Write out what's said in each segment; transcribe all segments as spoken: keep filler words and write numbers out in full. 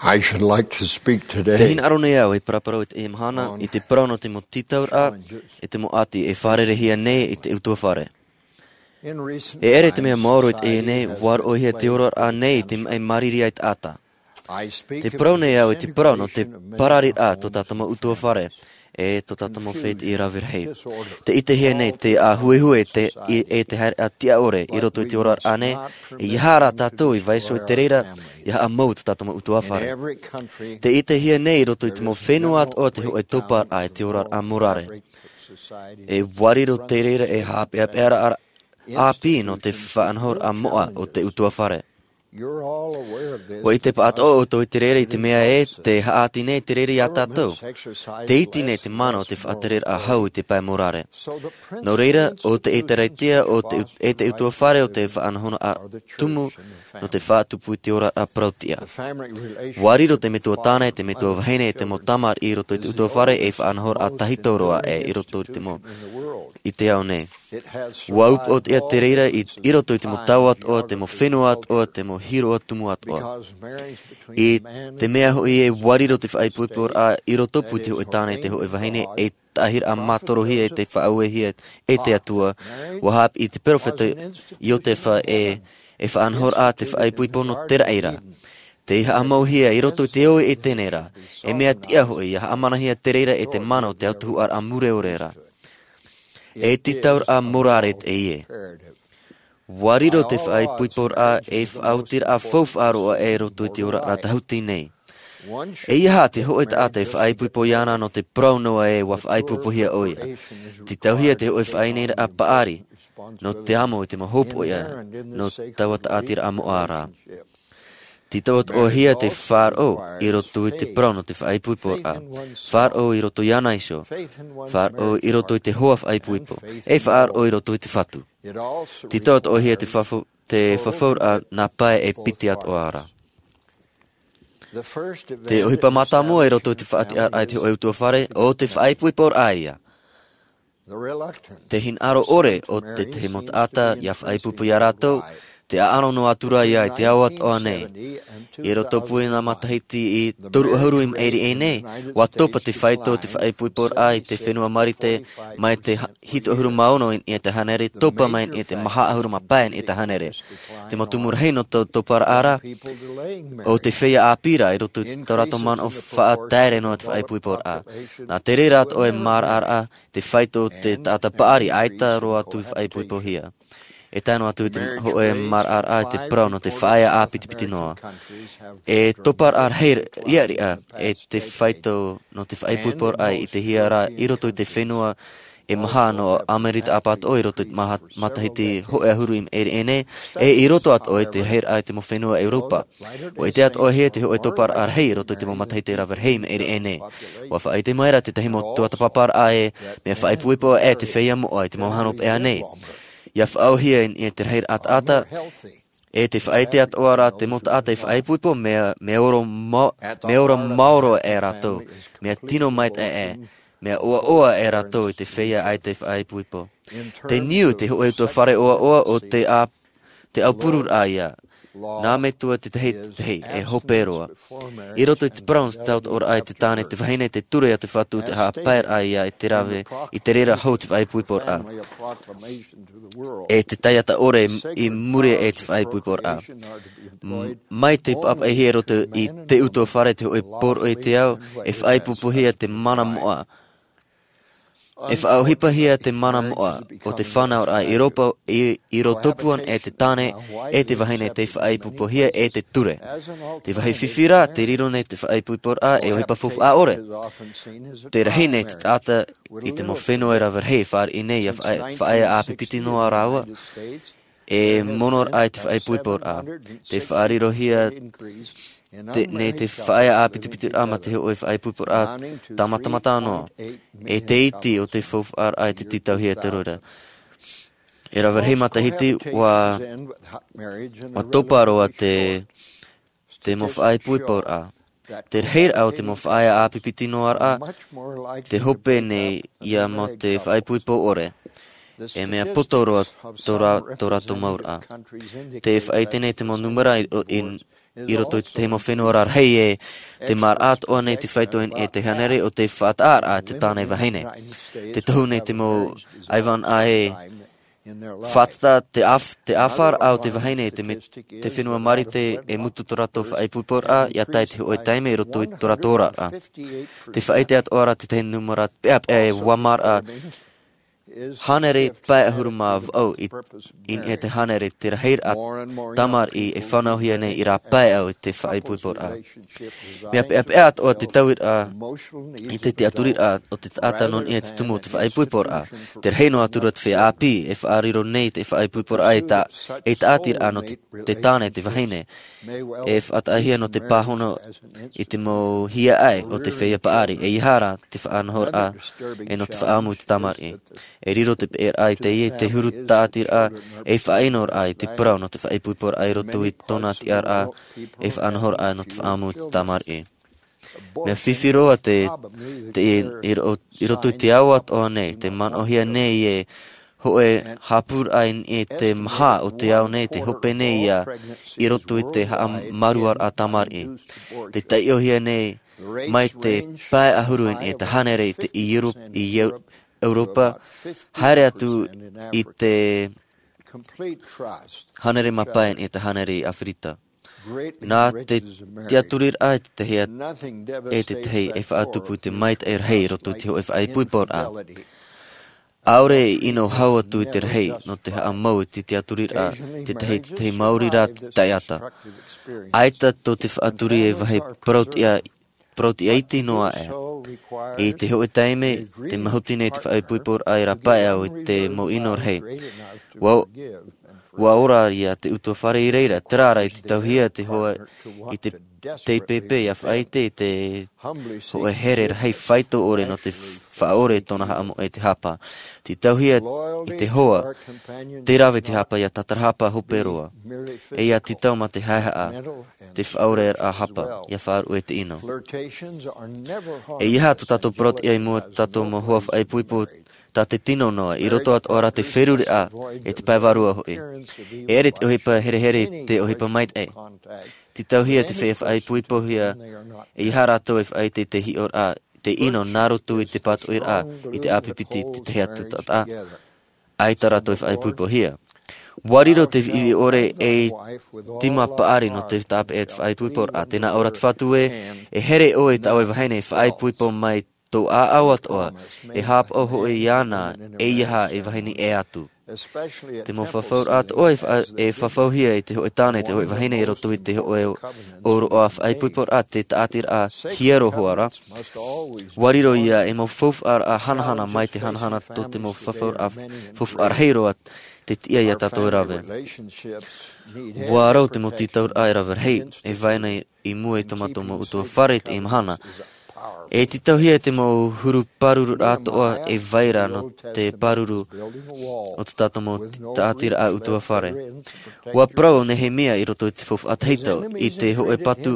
I should like to speak today. Te hinaʻaro nei au e paraparau i te mahana, i te parau nō te mau tītauraʻa, i te mau ʻati e fārereihia nei i te ʻutuāfare. E ʻere te mea maoro i teie nei, ʻua roʻohia te oraraʻa nei i te maʻi māriri a te taʻata. Te parau nei au i te parau nō te parariraʻa tō tātou mau ʻutuāfare, e tō tātou mau fētiʻi rave rahi. Te ʻitehia nei te ʻāhuehue te, i, e te haereʻa tiʻa ʻore i roto i te oraraʻa nei, e ʻeiaha rā tātou i vaiiho i te reira, ʻia haʻamau tō tātou mau ʻutuāfare. Te ʻitehia nei i roto i te mau fenua atoʻa te hōʻē tōparaʻa i te oraraʻa morare. E ʻua riro te reira e haʻapeʻapeʻa ra ʻāpī nō te faʻanahoraʻa moʻa o te ʻutuāfare. ʻUa ʻite paʻatoʻa ʻoutou i te reira i te mea ē, tē haʻati nei te reira iā tātou. Tē iti nei te mana o te faʻatereraʻa hau i te pae morare. Nō reira, ʻo te ʻĒtārētia, ʻo te, e te ʻutuāfare ʻo te faʻanahoraʻa tumu, nō te faʻatupu i te oraraʻa parau-tiʻa. ʻUa riro te metua tāne, te metua vahine, e te mau tamariʻi i roto i te ʻutuāfare, ei faʻanahoraʻa tahito roa ē, i roto i te mau, i te ao nei. ʻUa upoʻotiʻa te reira i, i roto i te mau tau atoʻa, te mau fenua atoʻa, te mau hiroʻa tumu atoʻa. I te mea hoʻi ē ʻua riro te faʻaipoiporaʻa i rotopū i te hōʻē tāne, te hōʻē vahine, ei taʻahiraʻa mātorohia e te faʻauehia e te Atua, ʻua haʻapiʻi te peropheta Iotefa ē, e faʻanahoraʻa te faʻaipoipo nō te raʻi ra. Tei haʻamauhia i roto i te ʻoire e teie nei ra, e mea tiʻa hoʻi, ʻia haʻamanahia te reira e te mana o te autahuʻaraʻa mure ʻore ra. E tītauraʻa morare teie. ʻUa riro te faʻaipoiporaʻa ei faʻaotiraʻa faufaʻa roa ē i roto i te oraraʻa tāhuti nei. ʻEiaha te hōʻē taʻata e faʻaipoipo iāna nō te parau noa ē ʻua faʻaipoipohia ʻoia. Tītauhia te hōʻē faʻaineineraʻa paʻari, nō te amo i te mau hōpoiʻa, nō taua taʻatiraʻa moʻa ra. Tītau atoʻahia te faʻaroʻo i roto i te parau nō te faʻaipoiporaʻa. Faʻaroʻo i roto iāna iho. Faʻaroʻo i roto i te hoa faʻaipoipo. E faʻaroʻo i roto i te Fatu. Tītau atoʻahia te fafau, te fafauraʻa nā pae e piti atoʻa ra. Te ʻohipa mātāmua i roto i te faʻatiʻaraʻa i te hōʻē ʻutuāfare, ʻo te faʻaipoiporaʻa ïa. Te hinaʻaro ʻore o te tahi mau taʻata ʻia faʻaipoipo iā rātou, te ʻaʻano noa atu ra ïa i te ao atoʻa nei. I rotopū i nā matahiti e toru ʻahuru i maʻiri aʻe nei, ʻua topa te faito o te faʻaipoiporaʻa i te fenua Marite, mai te ha-, hitu ʻahuru mā ono i niʻa i te hānere, topa mai i niʻa i te maha ʻahuru mā pae i niʻa i te hānere. Te mau tumu rahi nō tō tōparaʻa ra, ʻo te feiā ʻāpī ra i roto i tō rātou manaʻo faʻataere noa i te faʻaipoiporaʻa. Nā te reira atoʻa e maraʻaraʻa te faito o te taʻata paʻari, ʻaita roa atu i faʻaipoipohia. E tae noa atu i te hōʻē maraʻaraʻa i te parau nō te faʻaea ʻāpitipiti noa. E tōparaʻa rahi riʻariʻa e te faito nō te faʻaipoiporaʻa i ʻitehia ra i roto i te fenua e maha nō ʻAmerika ʻapatoʻa i roto i te maha-, matahiti hōʻē ʻahuru i maʻiri aʻe nei, e i roto atoʻa i te rahiraʻa i te mau fenua ʻEuropa. ʻUa ʻite atoʻahia te hōʻē tōparaʻa rahi i roto i te mau matahiti rave rahi i maʻiri aʻe nei. ʻUa faʻaʻite mai ra te tahi mau tuatāpaparaʻa ē, mea faʻaipoipo ʻē te feiā moʻa i te mau mahana hopeʻa nei. ʻIa faʻaauhia i niʻa i te rahiraʻa taʻata, e tē faʻaʻite atoʻa ra te mau taʻata e faʻaipoipo, mea, mea ora ma-, mea ora maoro ʻē rātou, mea tino maitaʻi ʻē, mea ʻoaʻoa ʻē rātou i te feiā ʻaita e faʻaipoipo. Te niu i te hōʻē ʻutuāfare ʻoaʻoa ʻo te ʻā-, te ʻaupururaʻa ïa. Nā metua te tahi, te tahi, e hope roa. I roto i te parau nō te tautooraʻa i te tāne, te vahine, te ture a te Fatu, te haʻapaeraʻa ïa i te rave, i te reira hou te faʻaipoiporaʻa. E te taiata ʻore i muri i te faʻaipoiporaʻa. M-, mai te papaʻihia i roto i te ʻutuāfare te hōʻē poroʻi i te ao, e faʻaipoipohia te mana moʻa. E faʻaʻohipahia te mana moʻa o te fānauraʻa i ropa, i, i rotopū ana e te tāne, e te vahine tei faʻaipoipohia e te ture. Te vāhi fifi ra, tē riro nei te faʻaipoiporaʻa ei ʻohipa faufaʻa ʻore. Tē rahi nei te taʻata i te mau fenua e rave rahi e fāriʻi nei ʻia faʻa-, faʻaea ʻāpipiti noa rāua. E mono ra i te faʻaipoiporaʻa. Tē faʻarirohia te, nei te faʻaea ʻāpitipitiraʻa mā te hōʻē faʻaipoiporaʻa tāmatamata noa. E te iti o te faufaʻaraʻa i te tītauhia te reira. E rave rahi matahiti ʻua, ʻua topa roa te, te mau faʻaipoiporaʻa. Te rahiraʻa o te mau faʻaea ʻāpipiti noa ra, tē hope nei ïa mō te faʻaipoipo ʻore. E mea poto roa tō rā-, tō rātou mau ra. Tē faʻaʻite nei te mau nūmera i, i, i roto i te mau fenua rarahi e te maraʻa atoʻa nei te faito i niʻa i te hānere o te faʻataʻaraʻa te tāne vahine. Te tohu nei te mau ʻaivānaʻa e faʻatata te ʻāf-, te ʻāfaraʻa o te vahine i te me-, te fenua Marite e mutu tō rātou faʻaipoiporaʻa, ʻia tae i te hōʻē taime i roto i tō rātou oraraʻa. Te faʻaʻite atoʻa ra te tahi nūmera peʻapeʻa e ua maraʻa hānere pae ʻahuru mā vaʻu i, i niʻa i te hānere te rahiraʻa tamariʻi e fānauhia nei i rā pae ʻau i te faʻaipoiporaʻa. Mea peʻapeʻa atoʻa te tauiraʻa i te tiʻaturiraʻa o te taʻata nō niʻa i te tumu o te faʻaipoiporaʻa. Te rahi noa atu ra te feiā ʻāpī e faʻariro nei te faʻaipoiporaʻa e ta-, e tāʻatiraʻa nō te, te tāne te vahine. E faʻataʻahia nō te pāhono i te mau hiaʻai o te feiā paʻari. ʻEiaha rā te faʻanahoraʻa e nō te faʻaʻamu i te tamariʻi. E riro te peʻeraʻa i teie, te huru tāʻatiraʻa e faʻaʻinoraʻa i te parau nō te faʻaipoiporaʻa i roto i tōna tiʻaraʻa e faʻanahoraʻa nō te faʻaʻamu i te tamariʻi. Mea fifi roa te, te, i, i ro-, i roto i te ao atoʻa nei, te manaʻohia nei e hōʻē haʻapūraʻa i niʻa i te maha o te ao nei, te hope nei ia i roto i te haʻamāuruururaʻa tamariʻi. Te taiʻohia nei mai te pae ʻahuru i niʻa i te hānere i te, i Euro-, i Eu-, Europa, haere atu i te hānere mā pae i niʻa i te hānere i Aferika. Nā te tiʻaturiraʻa i te tahi e te tahi e faʻatupu i te maitaʻi rahi i roto i te hōʻē faʻaipoiporaʻa. ʻAore i ʻino hau atu i te rahi nō te haʻamau i te tiʻaturiraʻa, te tahi, te tahi maori rā te taʻata. ʻAita tō te faʻaturi e vāhi parauʻtiʻa, parauʻtiʻa iti noa aʻe. I te hōʻē taime, te mahuti nei te faʻaipoiporaʻa i rā pae ʻau i te mau ʻino rahi. Ua, ua ora ia te ʻutuāfare i reira, terā rā i te tauhia te hoa i te, te pepe ʻia faʻaʻite i te hōʻē here rahi faito ʻore nō te faʻaʻore tōna haʻamoʻe i te hapa. Te tauhia i te hoa, te rave te hapa ʻia tātarahapa hope roa. E ʻia tītau mā te haehaʻa, te faʻaʻoreraʻa hapa, ʻia faʻaruʻe te ʻino. ʻEiaha tō tātou parauʻtiʻa i mua i tō tātou mau hoa faʻaipoipo tā te tino noa, i roto atoʻa rā te feruriraʻa e te pae vārua hoʻi. E ʻere te ʻohipa herehere i te ʻohipa maitaʻi. Te tauhia te feiā faʻaipoipohia, ʻeiaha rātou e faʻaʻite i te hiʻoraʻa, te ʻino nā roto i te pātoʻiraʻa, i te ʻāpipiti, te tahi atu taʻata. ʻAita rātou e faʻaipoipohia. Ua riro te viʻiviʻi ʻore ei tīma paʻari nō te tāpeʻa e te faʻaipoiporaʻa. Tē nā ʻō ra te Fatu ē, e here ʻoe i tā ʻoe vahine e faʻaipoipo mai tō ʻāʻau atoʻa, e haʻapaʻo hoʻi iāna, ʻeiaha e vahine ʻē atu. Te mau fafauraʻa atoʻa e fa-, e fafauhia i te hōʻē tāne, te hōʻē vahine i roto i te hōʻē ʻōroʻa faʻaipoiporaʻa, te tāʻatiraʻa hiero hoʻi ra. Ua riro ia ei mau faufaʻaraʻa hanahana mai te hanahana tō te mau fafauraʻa faufaʻa rahi roa te tiʻa ia tātou e rave. Ua rau te mau tītauraʻa e rave rahi, e vai nei i mua i tō mātou mau ʻutuāfare i teie mahana. E tītauhia te mau huru pāruru atoʻa e vai ra nō te pāruru o tō tātou mau tāʻatiraʻa ʻutuāfare. Ua parau ʻo Nehemia i roto i te faufaʻa tahito, i te hōʻē patu,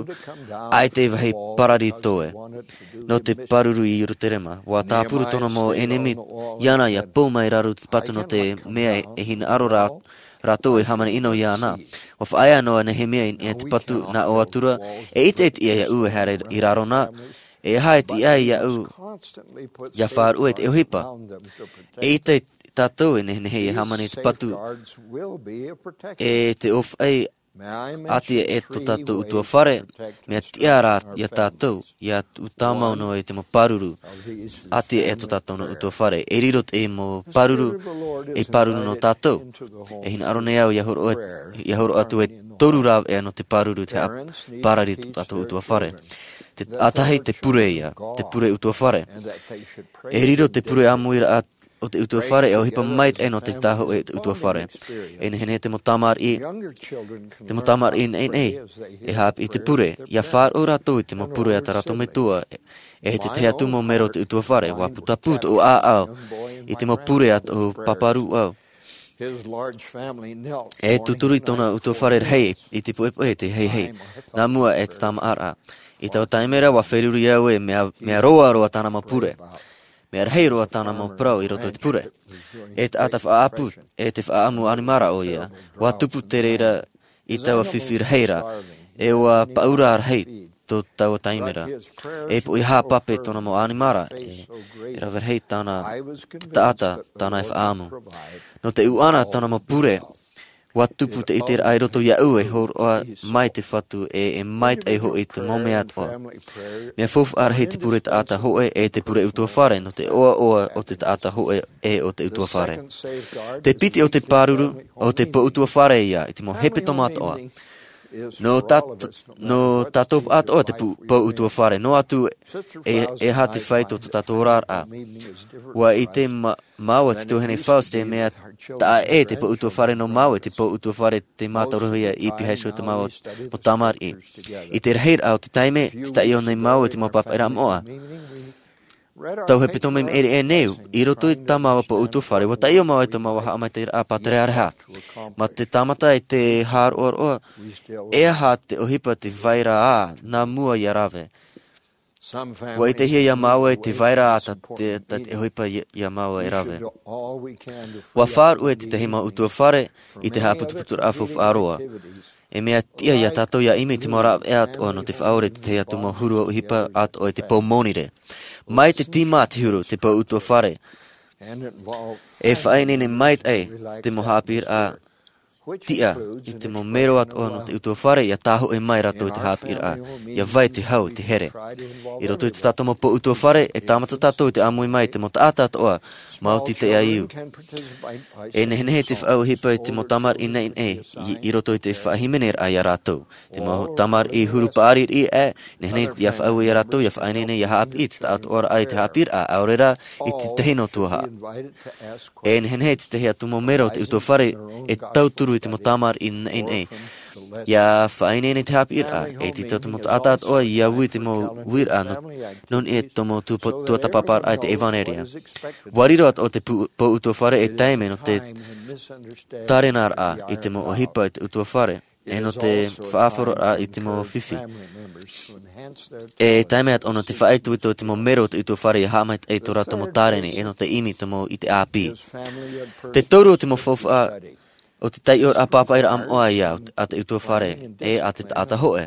ʻaita e vāhi parari toe nō te pāruru i Ierutarema. Ua tāpura tōna mau ʻenemi iāna ʻia pou mai i raro i te patu nō te mea e hinaʻaro rā, rātou e hāmani ʻino iāna. Ua faʻaea noa Nehemia i niʻa i te patu, nā ʻō atu ra, e ʻite e tiʻa iāʻu e haere i raro na, e aha e tiʻa ai iāʻu ʻia faʻaruʻe i te ʻohipa. E ʻite tātou e nehenehe e hāmani i te patu, e te ʻōfaʻi ʻāti aʻe tō tātou ʻutuāfare, mea tiʻa rā ia tātou, ʻia tāmau noa i te mau pāruru ʻāti aʻe tō tātou nā ʻutuāfare. E riro te mau pāruru, ei pāruru nō tātou. E hinaʻaro nei au ʻia hōroʻa, ʻia hōroʻa atu e toru rāveʻa nō te pāruru te haʻaparari tō tātou ʻutuāfare. Te ʻātahi, te pure ia, te pure ʻutuāfare. E riro te pure ʻāmuiraʻa o te ʻutuāfare, e ʻohipa maitaʻi nō te tāhōʻē o te ʻutuāfare. E nehenehe te mau tamariʻi, te mau tamariʻi naʻinaʻi, e haʻapiʻi te pure, ʻia faʻaroʻo rātou i te mau pure a tā rātou metua, e te tahi atu mau mero o te ʻutuāfare, ua putapū tōʻu ʻāʻau i te mau pure a tōʻu pāpārūʻau. E tūturu i tōna ʻutuāfare rahi i te poʻipoʻi, te heihei, nā mua e te tāmāʻaraʻa. I taua taime ra, ua feruri au e mea, mea roa roa tāna mau pure. Mea rahi roa tāna mau parau i roto i te pure. E taʻata faʻaʻapu, e te faʻaʻamu ʻanimara ʻoia, ua tupu te reira i taua fifi rahi ra. E ua paʻura rahi tō taua taime ra. E poʻihā pape tōna mau ʻanimara, e, e rave rahi tāna, te taʻata, tāna e faʻaamu. Nō te ʻuʻana tāna mau pure, ua tupu te ʻiteraʻa i roto iāʻu e hōroʻa mai te Fatu e, e maitaʻi hoʻi te mau mea atoʻa. Mea faufaʻa rahi te pure taʻata hōʻē e te pure ʻutuāfare, nō te ʻoaʻoa o te taʻata hōʻē e o te ʻutuāfare. Te piti o te pāruru, o te pou ʻutuāfare ia, i te mau hepetoma atoʻa. Nō tā, nō tātou atoʻa te pou, pou ʻutuāfare, noa atu e, e aha te fāito o tō tātou oraraʻa. Ua ʻite ma-, māua te tuahine Faust e mea taʻa ʻē te pou ʻutuāfare nō māua, te pou ʻutuāfare tei mātaurohia i pīhaʻi iho te mau, mau tamariʻi. I te rahiraʻa o te taime, te taiʻo nei māua i te mau pāpaʻiraʻa moʻa. Tau hepetoma i maʻiri aʻe nei, i roto i tā māua pou ʻutuāfare, ua taiʻo māua i tō māua haʻamaitaʻiraʻa pātereareha. Mā te tāmata e te haʻaroʻaroʻa, e aha te ʻohipa te vai ra ā, nā mua ia rave. Ua ʻitehia iā māua i te vai ra ā tā te, tā te ʻohipa iā, iā māua e rave. Ua faʻaruʻe te tahi mau ʻutuāfare i te haʻaputuputuraʻa faufaʻa roa. E mea tiʻa iā tātou ia ʻimi i te mau rāveʻa atoʻa nō te faʻaʻore i te tahi atu mau huru ʻohipa atoʻa i te pou monirē. Mai te tīmā te huru te pou ʻutuāfare. E faʻaineine maitaʻi te mau haʻapiʻiraʻa tiʻa i te mau mero atoʻa nō te ʻutuāfare ia tāhoʻi mai rātou i te haʻapiʻiraʻa, ia vai te hau, te here. I roto i tā tātou mau pou ʻutuāfare, e tāmata tātou i te ʻāmui mai i te mau taʻata atoʻa, maoti te ʻaiū. E nehenehe te faʻaʻohipa i te mau tamariʻi naʻinaʻi, i, i roto i te faʻahīmeneraʻa iā rātou. Te mau tamariʻi huru paʻari riʻi aʻe, nehenehe ia faʻaue iā rātou, ia faʻaineine, ia haʻapiʻi i te taʻatoʻaraʻa i te haʻapiʻiraʻa, ʻaore rā, i te tahi noa atu ā. E nehenehe te tahi atu mau mero o te ʻutuāfare, e tauturu i te mau tamariʻi naʻinaʻi. Ia faʻaineine i te haʻapiʻiraʻa, e te tahi atu mau taʻata atoʻa, ia ui te mau uiraʻa nō, nō niʻa i tō mau tuapa-, tuatāpaparaʻa i te ʻevanelia. Ua riro atoʻa te pou-, pou ʻutuāfare e taime nō te tārenaraʻa i te mau ʻohipa i te ʻutuāfare. E nō te faʻaʻoroʻa i te mau fifi. E taime atoʻa nō te faʻaitoito i te mau mero o te ʻutuāfare ia haʻamaitaʻi i tō rātou mau tāreni, e nō te ʻimi i te mau ʻite ʻāpī. Te toru o te mau faufaʻa o te taiʻoraʻa pāpaʻiraʻa moʻa ia a te ʻutuāfare, e a te taʻata hōʻē.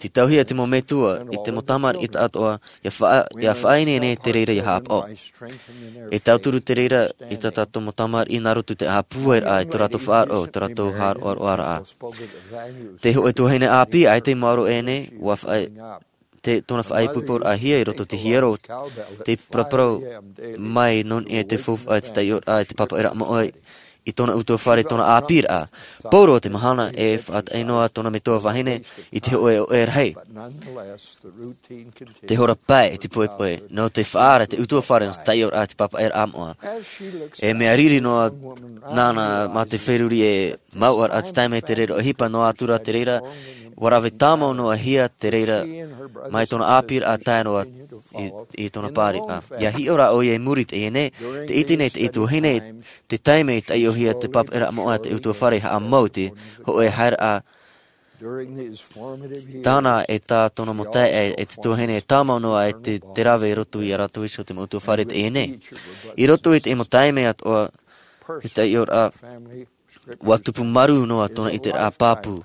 Te tauhia te mau metua i te mau tamariʻi taʻatoʻa, ia faʻa-, ia faʻaineine te reira ia haʻapaʻo. E tauturu te reira i tā tātou mau tamariʻi nā roto i te haʻapūairaʻa i tō rātou faʻaroʻo, i tō rātou haʻaroʻaroʻaraʻa. Te hōʻē tuahine ʻāpī, ʻaita i maoro ʻēnei, ua faʻa-, te, tōna faʻaipoiporaʻahia i roto i te hiero, te paraparau mai nō niʻa i te faufaʻa i te taiʻoraʻa i te pāpaʻiraʻa moʻa i tōna ʻutuāfare, tōna ʻāpīraʻa. Pauroa te mahana e faʻataʻa noa tōna metua vahine i te hōʻē ʻoʻe rahi. Te hora pae i te poepoe, nō te faʻaara te ʻutuāfare nō te taiʻoraʻa i te pāpaʻiraʻa moʻa. E mea riri noa nāna mā te feruri e mauʻaraʻa te taime te reira ʻohipa noa atu rā te reira, ua rave tāmau noa hia te reira mai tōna ʻāpīraʻa tae noa i, i tōna pāriʻa. Ia hiʻo rā ʻoia i muri i teie nei, te ʻite nei te tuahine, te taime i taiʻohia te pāpaʻiraʻa moʻa te ʻutuāfare haʻamau i te hōʻē haereraʻa tāna e tā tōna mau taeaʻe e te tuahine e tāmau noa e te, te rave i roto iā rātou iho te mau ʻutuāfare teie nei. I roto i te mau taime atoʻa, te taiʻoraʻa, ua tupu marū noa tōna ʻiteraʻa pāpū.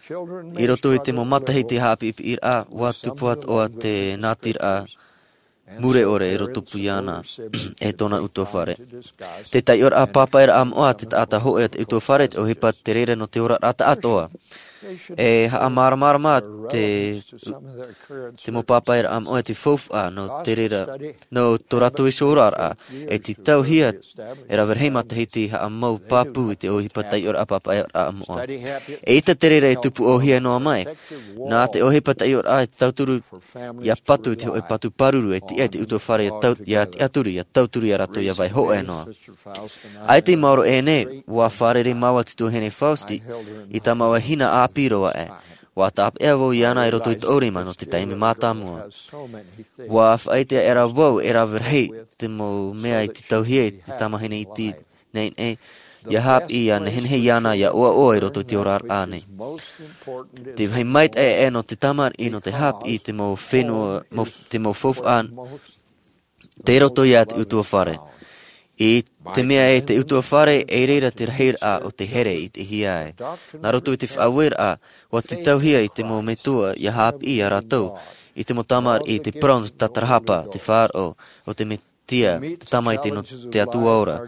I roto i te mau matahiti haʻapiʻipiʻiraʻa, ua tupu atoʻa te nātiraʻa mure ʻore e rōtopu iāna e tōna ʻutuāfare. Te taiʻoraʻa pāpaʻiraʻa moʻa te taʻata hōʻē a te ʻutuāfare, te ʻohipa te reira nō te oraraʻa taʻatoʻa. E haʻamāramarama te, te mau pāpaʻiraʻa moʻa te faufaʻa nō te reira, nō tō rātou iho oraraʻa, e te tauhia e rave rahi matahiti haʻamau pāpū i te ʻohipa taiʻoraʻa pāpaʻiraʻa moʻa. E ʻita te reira e tupu ʻōhie noa mai, nā te ʻohipa taiʻoraʻa e tauturu ia patu i te hōʻē patu pāruru e tiʻa i te ʻutuāfare ia tau-, ia tiʻaturi, ia tauturu ia rātou ia vai hōʻē noa. ʻAita i maoro ʻēnei, ua fārerei māua te tuahine Faust i tā māua hina ʻāpī roa aʻe. Ua tāpeʻa vau iāna i roto i tōʻu rima nō te taime mātāmua. Ua faʻaʻite aʻera vau e rave rahi te mau mea i te tauhia i te tamahine iti nei, nei, ia haʻapiʻi, ia nehenehe iāna, ia ʻoaʻoa i roto i te oraraʻa nei. Te vāhi maitaʻi aʻe nō te tamariʻi, nō te haʻapiʻi i te mau fenua, mau, te mau faufaʻa, tei roto ia te ʻutuāfare. I te mea e te utuafare, e reira te rahiraʻa o te here i te hia ai. Nā roto i te faʻaueraʻa, ua tītauhia i te mau metua ia haʻapiʻi ia rātou i te mau tamariʻi i te parau nō te tatarahapa, te faʻaroʻo o te Mesia, te Tamaiti nō te Atua ora.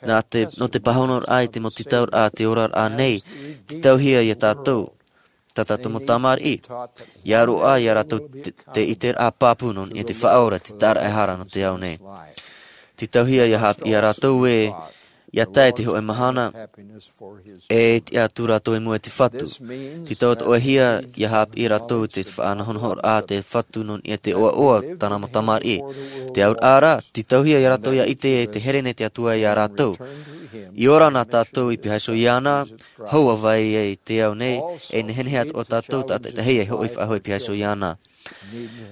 Nā te, nō te pāhonoraʻa i te mau tītauraʻa, te oraraʻa nei, tītauhia ia tātou, tā tātou mau tamariʻi, ia roaʻa ia rātou te, te ʻiteraʻa pāpū nō niʻa i te Faʻaora, te taʻata e hara nō te ao nei. Tītauhia ia haʻapiʻi ia rātou ē, ia tae te hōʻē mahana, e tiʻa atu rātou i mua i te Fatu. Tītauhia ia haʻapiʻi rātou te faʻanahonahoraʻa te Fatu nō niʻa i te ʻoaʻoa tāna mau tamariʻi. Te auraʻa ra, tītauhia ia rātou ia ʻite ē te here nei te Atua ia rātou. I ora na tātou i pīhaʻi iho iāna, hou ā vai i te ao nei, e nehenehe atoʻa tātou, taʻata ʻē e hoʻi faʻahou i pīhaʻi iho iāna.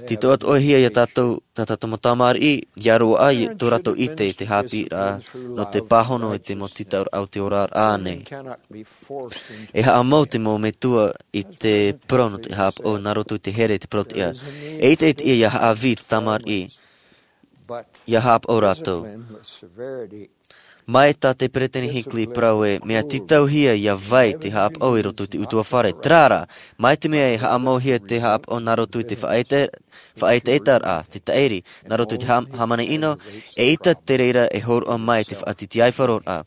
Tītauhia ia tātou, tā tātou mau tamariʻi, ia roaʻa i tō rātou ʻite i te haʻapiʻiraʻa, nō te pāhono i te mau tītauraʻa o te oraraʻa nei. E haʻamau te mau metua i te parau nō te haʻapaʻo nā roto i te here i te parauʻtiʻa. E ʻite, ʻite ia haʻavī te tamariʻi, ia haʻapaʻo rātou. Mai tā te Peresideni Hinckley i parau ē, mea tītauhia ia vai te haʻapaʻo i roto i te utuafare. Terā rā, mai te mea e haʻamauhia te haʻapaʻo nā roto i te faʻaʻite-, faʻaʻiteʻiteraʻa, te taʻiri, nā roto i te hā-, hāmani ʻino, eʻita te reira e hōroʻa mai te faʻatītīʻaifaroraʻa.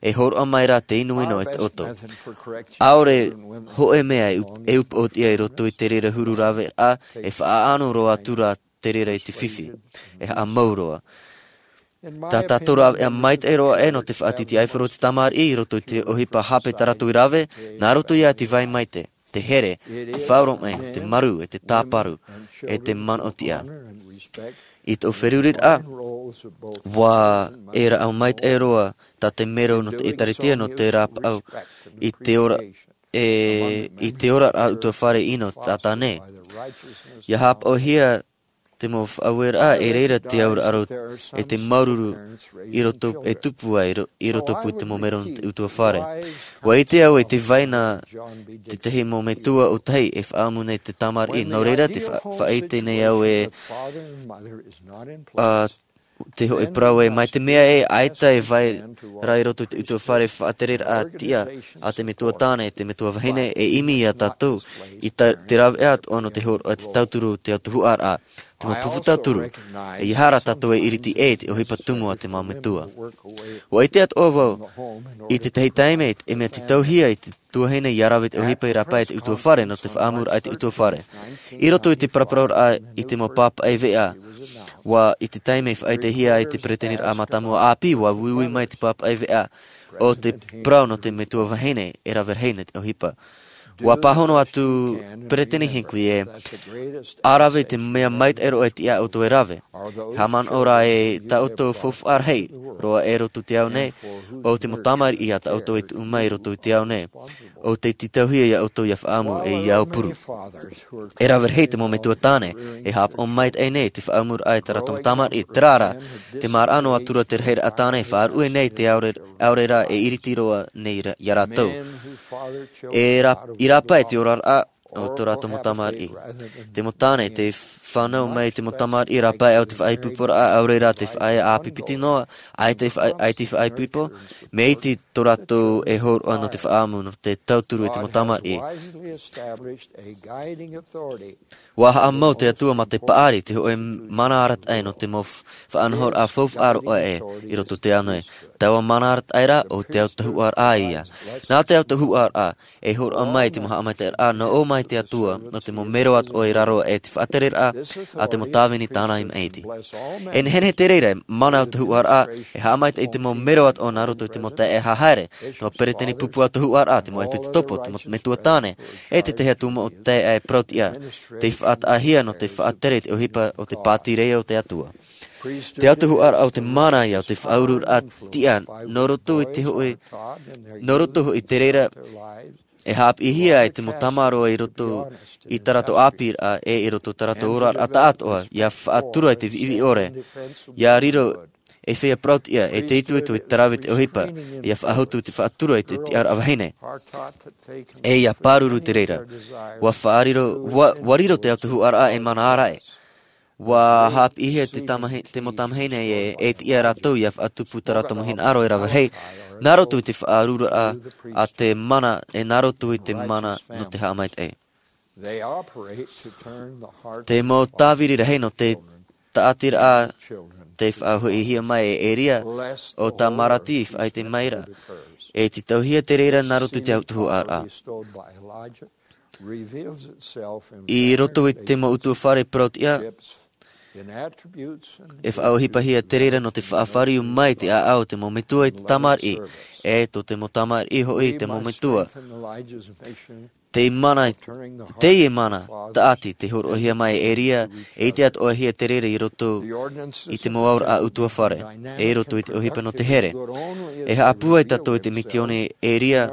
E hōroʻa mai rā te inoino e taʻoto. ʻAore hōʻē mea e up-, e upoʻotiʻa i roto i te reira huru raveraʻa, e faʻaʻano roa atu rā te reira i te fifi. E haʻamau roa. Tā tātou rāveʻa maitaʻi roa ē nō te faʻatītīʻaifaro o te tamariʻi i roto i te ʻohipa hape tā rātou i rave, nā roto ia te vai maitaʻi, te here, te faʻaoromaʻi, te marū, e te tāparu, e te manaʻotiʻa. I tō feruriraʻa, ʻua e rāʻau maitaʻi roa, tā te mero nō te ʻĒtārētia, nō te rāpaʻau, i te ora, e, i te oraraʻa utuafare ʻino taʻata nei. Ia haʻapaʻohia te mau faʻaueraʻa, e reira te auraʻa e te māuruuru i roto, e tupu ai ro-, i rotopū i te mau mero nō te utuafare. ʻUa ʻite au e te vai na tētahi mau metua ʻōtahi e faʻaʻamu nei te tamariʻi, nō reira te fa-, faʻaʻite nei au ē, ā, te hōʻē parau ē, mai te mea ē, ʻaita e vai ra i roto i te utuafare faʻatereraʻa tiʻa a te metua tāne, te metua vahine, e ʻimi ia tātou i ta-, te rāveʻa atoʻa nō te hōroʻa te tauturu, te autahuʻaraʻa, te mau pupu tauturu, e ʻeiaha rā tātou e iriti ʻē i te ʻohipa tumu a te mau metua. ʻUa ʻite atoʻa vau, i tētahi taime, e mea tītauhia i te tuahine ia rave i te ʻohipa i rāpae i te utuafare, nō te faʻaʻamuraʻa i te utuafare. I roto i te paraparauraʻa i te mau pāpaʻi veʻa, ʻua, i te taime i faʻaʻitehia ai te peretiteniraʻa mātāmua ʻāpī, ʻua uiui mai te pāpaʻi veʻa o te parau nō te metua vahine e rave rahi nei te ʻohipa. ʻUa pāhono atu Peretiteni Hinckley ē, ʻa rave te mea maitaʻi roa e tiʻa ʻoutou e rave. Haʻamanaʻo rā ē tā ʻoutou faufaʻa rahi roa i roto i te ao nei, ʻo te mau tamariʻi a tā ʻoutou e tuʻu mai i roto i te ao nei, ʻo tei tītauhia ia ʻoutou ia faʻaʻamu e ia aupuru. E rave rahi te mau metua tāne, e haʻapaʻo maitaʻi nei te faʻaʻamuraʻa i tā rātou mau tamariʻi, terā rā, tē maraʻa noa atu ra te rahiraʻa tāne, e faʻaruʻe nei te ʻaore, ʻaore rā e iriti roa nei ra-, ia rātou. E rā-, i rāpae te oraraʻa o tō rātou mau tamariʻi. Te mau tāne, tē fānau mai te mau tamariʻi, rāpae ʻaore te faʻaipoiporaʻa, ʻaore rā te faʻaea ʻāpī piti noa, ʻaita e faʻa-, ʻaita e faʻaipoipo, mea iti tō rātou e hōroʻa nō te faʻaʻamu, nō te tauturu i te mau tamariʻi. ʻUa haʻamau te Atua mā te paʻari, te hōʻē mana arataʻi nō te mau f-, faʻanahoraʻa faufaʻa roa ē i roto i te ao nei. Taua mana arataʻi ra, ʻo te autahuʻaraʻa ïa. Nā te autahuʻaraʻa, e hōroʻa mai te mau haʻamaitaʻiraʻa, nō ʻō mai te Atua, nō te mau mero atoʻa i raro aʻe i te faʻatereraʻa a te mau tāvini tāna i maʻiti. E nehenehe te reira, mana autahuʻaraʻa, e haʻamaitaʻi i te mau mero atoʻa nā roto i te mau taeaʻe haere, te mau peretiteni pupu autahuʻaraʻa, te mau ʻepisekopo, te mau metua tāne, e te tahi atu mau taeaʻe parauʻtiʻa, tei faʻataʻahia nō te faʻatere i te ʻohipa o te pātireia o te Atua. Te autahuʻaraʻa ʻo te mana ïa, ʻo te faʻauruuraʻa tiʻa, nō roto i te hōʻē, nō roto hoʻi te reira, e haʻapiʻihia ai te mau tamaroa i roto i tā rātou ʻāpīraʻa, e i roto i tā rātou oraraʻa taʻatoʻa, ʻia faʻatura i te viʻiviʻi ʻore, ʻia riro e feiā parauʻtiʻa, e te itoito i te rave i te ʻohipa, ʻia faʻahotu i te faʻatura i te tiʻaraʻa vahine. E ʻia pāruru te reira. ʻUa faʻariro, ʻua, ʻua riro te autahuʻaraʻa ei mana ārai. Ua haʻapiʻihia te tamahi-, te mau tamahine e, e tiʻa rātou ia faʻatupu tā rātou mau hinaʻaro e rave rahi, nā roto i te faʻaaruraʻa a te mana, e nā roto i te mana nō te haʻamaitaʻi. Te mau tāviri rahi nō te tāʻatiraʻa te faʻahoʻihia mai e Eria, ʻo Tamarati i faʻaʻite mai ra. E tītauhia te reira nā roto i te autahuʻaraʻa. I roto i te mau ʻutuāfare parau-tiʻa, e faʻaʻohipahia te reira nō te faʻafāriu mai te ʻāʻau o te mau metua i te tamariʻi, e tō te mau tamariʻi hoʻi i te mau metua. Te mana, teie mana, tāʻati, te hōroʻahia mai e Eria, e ʻite atoʻahia te reira i roto i te mau auraʻa ʻutuāfare, e i roto i te ʻohipa nō te here. E haʻapūai tātou i te misiōni e Eria,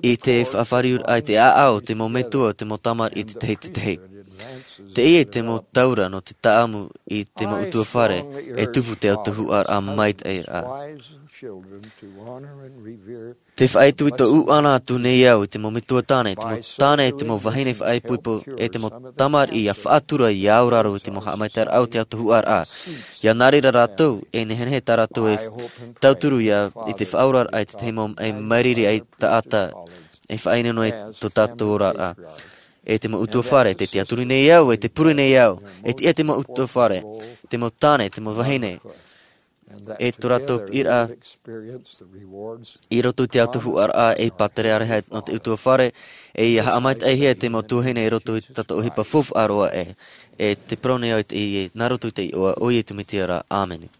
i te faʻafāriuraʻa i te ʻāʻau o te mau metua, te mau tamariʻi i te tahi, te tahi. Teie te mau taura nō te tāʻamu i te mau ʻutuāfare, e tupu te autahuʻaraʻa maitaʻi ra. Te faʻaitoito ʻuʻana atu nei au i te mau metua tāne, te mau tāne, te mau vahine faʻaipoipo, e te mau tamariʻi ia faʻatura i aoraro i te mau haʻamaitaʻiraʻa o te autahuʻaraʻa. Ia nā reira rātou, e nehenehe tā rātou e tauturu ia i te faʻaoraraʻa i te tahi mau e mairiri ai taʻata, e faʻaʻino nei tō tātou oraraʻa. E te mau ʻutuāfare, te tiʻaturi nei au, e te pure nei au, e tiʻa te mau ʻutuāfare, te mau tāne, te mau vahine, e tō rātou piʻiraʻa i roto i te autahuʻaraʻa e pātireia nō te ʻutuāfare, e ia haʻamaitaʻihia te mau tuahine i roto i tātou ʻohipa faufaʻa roa e, e te parau nei au i te, i, nā roto i te iʻoa o Iesu Mesia ra. ʻĀmene.